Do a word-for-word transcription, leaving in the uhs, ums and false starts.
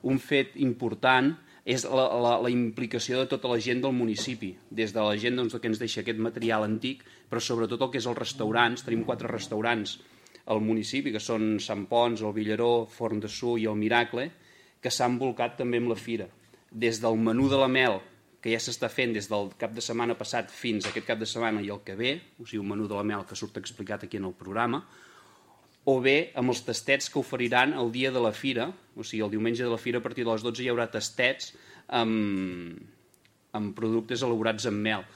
Un fet important és la, la, la implicació de tota la gent del municipi, des de la gent doncs, que ens deixa aquest material antic, però sobretot el que és els restaurants. Tenim quatre restaurants al municipi, que són Sant Pons, el Villaró, Forn de Su i el Miracle, que s'han volcat també amb la fira. Des del menú de la mel, que ja s'està fent des del cap de setmana passat fins a aquest cap de setmana i el que ve, o sigui, un menú de la mel que surt explicat aquí en el programa, o bé amb els tastets que oferiran el dia de la fira, o sigui, el diumenge de la fira a partir de les dotze hi haurà tastets amb, amb productes elaborats amb mel.